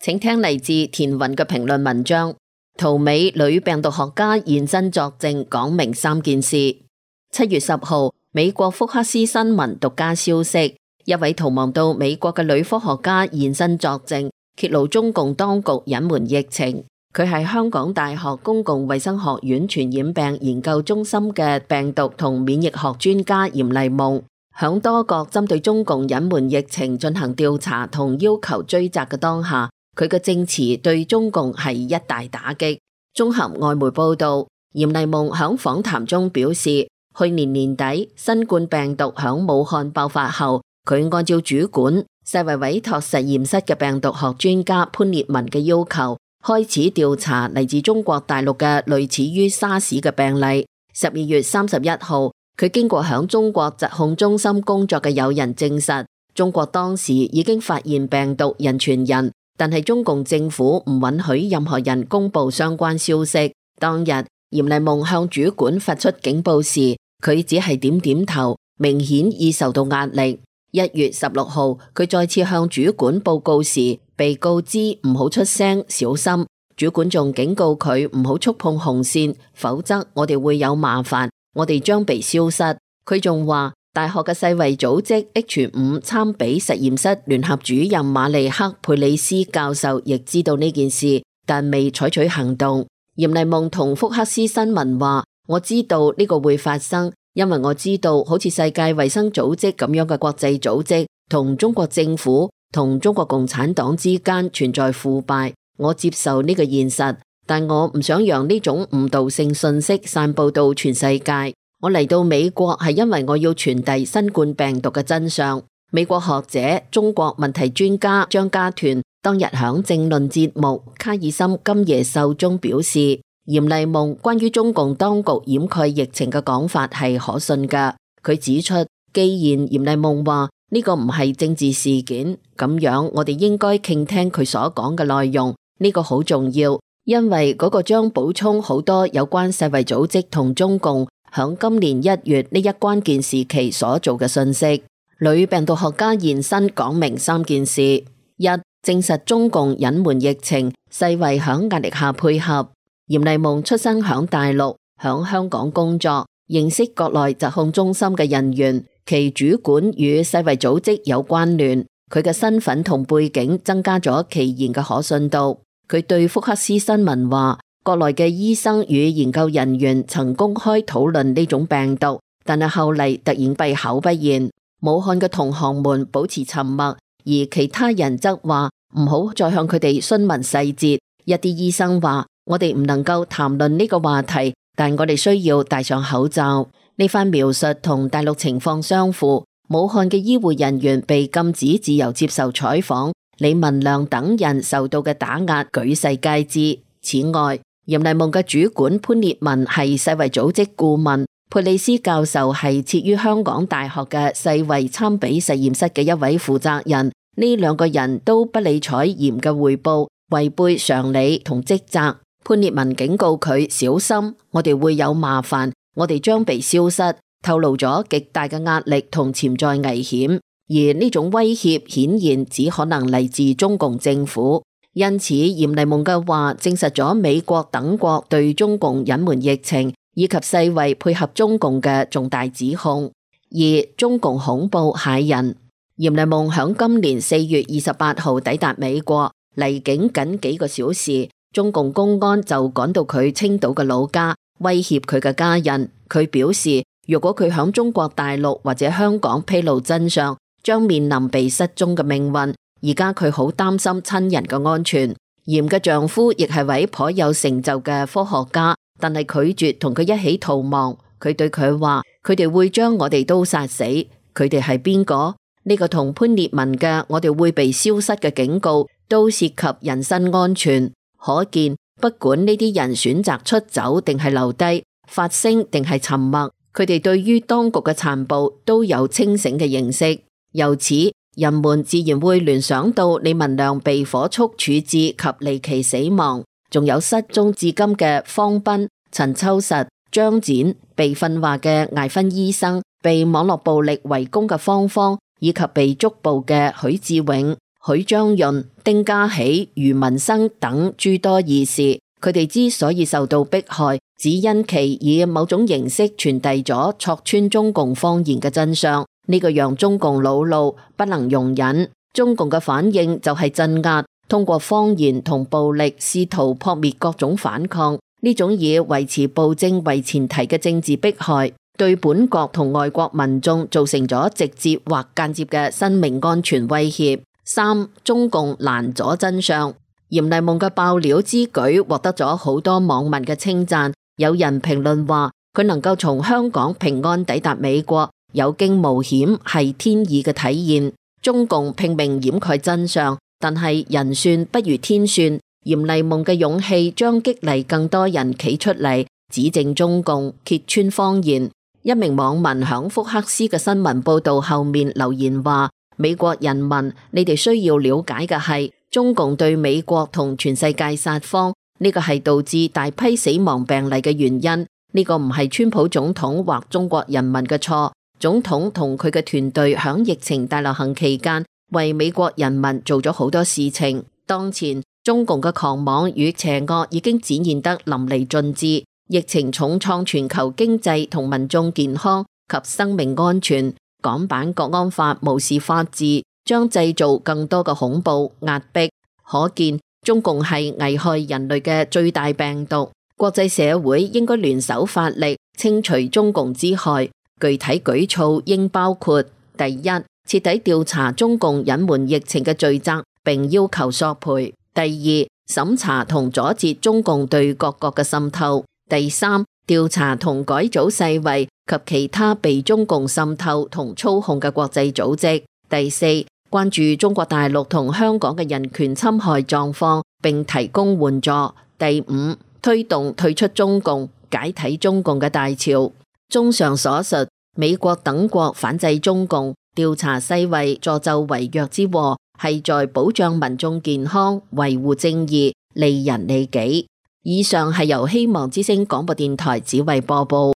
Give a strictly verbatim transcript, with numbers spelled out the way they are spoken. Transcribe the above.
請聽嚟自田雲嘅評論文章。圖美女病毒學家現身作證，講明三件事。七月十號，美國福克斯新聞獨家消息，一位逃亡到美國嘅女科學家現身作證，揭露中共當局隱瞞疫情。佢係香港大學公共衛生學院傳染病研究中心嘅病毒同免疫學專家嚴麗夢，響多國針對中共隱瞞疫情進行調查同要求追責嘅當下，佢嘅證詞對中共係一大打擊。綜合外媒報道，嚴麗夢響訪談中表示，去年年底新冠病毒響武漢爆發後，佢按照主管世衛委託實驗室嘅病毒學專家潘烈文嘅要求，開始調查嚟自中國大陸嘅類似於沙士嘅病例。十二月三十一號，佢經過響中國疾控中心工作嘅友人證實，中國當時已經發現病毒人傳人。但係中共政府唔允許任何人公布相關消息。當日嚴麗夢向主管發出警報時，佢只係點點頭，明顯已受到壓力。一月十六號，佢再次向主管報告時，被告知唔好出聲，小心。主管仲警告佢唔好觸碰紅線，否則我哋會有麻煩，我哋將被消失。佢仲話，大學嘅世衛組織 H 五 參比實驗室聯合主任馬利克佩里斯教授亦知道呢件事，但未採取行動。嚴麗夢同福克斯新聞話，我知道呢個會發生，因為我知道好似世界衛生組織咁樣嘅國際組織同中國政府同中國共產黨之間存在腐敗，我接受呢個現實，但我唔想讓呢種誤導性信息散布到全世界。我嚟到美國係因為我要傳遞新冠病毒嘅真相。美國學者、中國問題專家張家團當日響政論節目《卡爾森今夜秀》中表示，嚴麗夢關於中共當局掩蓋疫情嘅講法係可信㗎。佢指出，既然嚴麗夢話呢個唔係政治事件，咁樣我哋應該傾聽佢所講嘅內容，呢個好重要，因為嗰個將補充好多有關世衛組織同中共響今年一月呢一關鍵時期所做嘅信息。女病毒學家現身講明三件事：一、證實中共隱瞞疫情，世衛響壓力下配合。嚴麗夢出生響大陸，響香港工作，認識國內疾控中心嘅人員，其主管與世衛組織有關聯。佢嘅身份同背景增加咗其言嘅可信度。佢對福克斯新聞話，國內嘅醫生與研究人員曾公開討論呢種病毒，但係後嚟突然閉口不言。武漢嘅同行們保持沉默，而其他人則話唔好再向佢哋詢問細節。一啲醫生話，我哋唔能夠談論呢個話題，但我哋需要戴上口罩。呢番描述同大陸情況相符。武漢嘅醫護人員被禁止自由接受採訪，李文亮等人受到嘅打壓舉世皆知。此外，嚴麗夢嘅主管潘烈文係世衛組織顧問，佩里斯教授係設於香港大學嘅世衛參比實驗室嘅一位負責人。呢兩個人都不理睬嚴嘅匯報，違背常理同職責。潘烈文警告佢小心，我哋會有麻煩，我哋將被消失，透露咗極大嘅壓力同潛在危險。而呢種威脅顯然只可能嚟自中共政府。因此，嚴麗夢嘅話證實咗美國等國對中共隱瞞疫情以及世衛配合中共嘅重大指控。二、中共恐怖駭人。嚴麗夢響今年四月二十八號抵達美國，離境僅幾個小時，中共公安就趕到佢青島嘅老家，威脅佢嘅家人。佢表示，如果佢響中國大陸或者香港披露真相，將面臨被失蹤嘅命運。而家佢好擔心親人嘅安全。嚴嘅丈夫亦係位頗有成就嘅科學家，但係拒絕同佢一起逃亡。佢對佢話，佢哋會將我哋都殺死。佢哋係邊個？呢個同潘烈文嘅我哋會被消失嘅警告都涉及人身安全。可見，不管呢啲人選擇出走定係留低，發聲定係沉默，佢哋對於當局嘅殘暴都有清醒嘅認識。由此，人們自然會聯想到李文亮被火速處置及離奇死亡，仲有失蹤至今嘅方斌、陳秋實、張展，被訓話嘅艾芬醫生，被網絡暴力圍攻嘅方方，以及被捉捕嘅許志永。許章潤、丁家喜、余文生等諸多義士，佢哋之所以受到迫害，只因其以某種形式傳遞咗戳穿中共謊言嘅真相，呢個讓中共惱怒，不能容忍。中共嘅反應就係鎮壓，通過謊言同暴力試圖撲滅各種反抗。呢種以維持暴政為前提嘅政治迫害，對本國同外國民眾造成咗直接或間接嘅生命安全威脅。三、中共攔阻真相。嚴麗夢嘅爆料之舉獲得咗好多網民嘅稱讚，有人評論話佢能夠從香港平安抵達美國，有驚無險，係天意嘅體現。中共拼命掩蓋真相，但係人算不如天算。嚴麗夢嘅勇氣將激勵更多人企出嚟指證中共，揭穿謊言。一名網民響福克斯嘅新聞報道後面留言話：美國人民，你哋需要了解嘅係中共對美國同全世界撒謊，呢個係導致大批死亡病例嘅原因。呢個唔係川普總統或中國人民嘅錯。總統同佢嘅團隊響疫情大流行期間為美國人民做咗好多事情。當前中共嘅狂妄與邪惡已經展現得淋漓盡致，疫情重創全球經濟同民眾健康及生命安全。港版國安法無視法治，將製造更多嘅恐怖壓迫。可見中共係危害人類嘅最大病毒。國際社會應該聯手發力，清除中共之害。具體舉措應包括：第一，徹底調查中共隱瞞疫情嘅罪責，並要求索賠；第二，審查同阻截中共對各國嘅滲透；第三，調查同改組世衛及其他被中共滲透同操控嘅國際組織；第四，關注中國大陸同香港嘅人權侵害狀況，並提供援助；第五，推動退出中共，解體中共嘅大潮。綜上所述，美國等國反制中共，調查世衛助紂為虐之禍，係在保障民眾健康、維護正義、利人利己。以上係由希望之聲廣播電台指揮播報。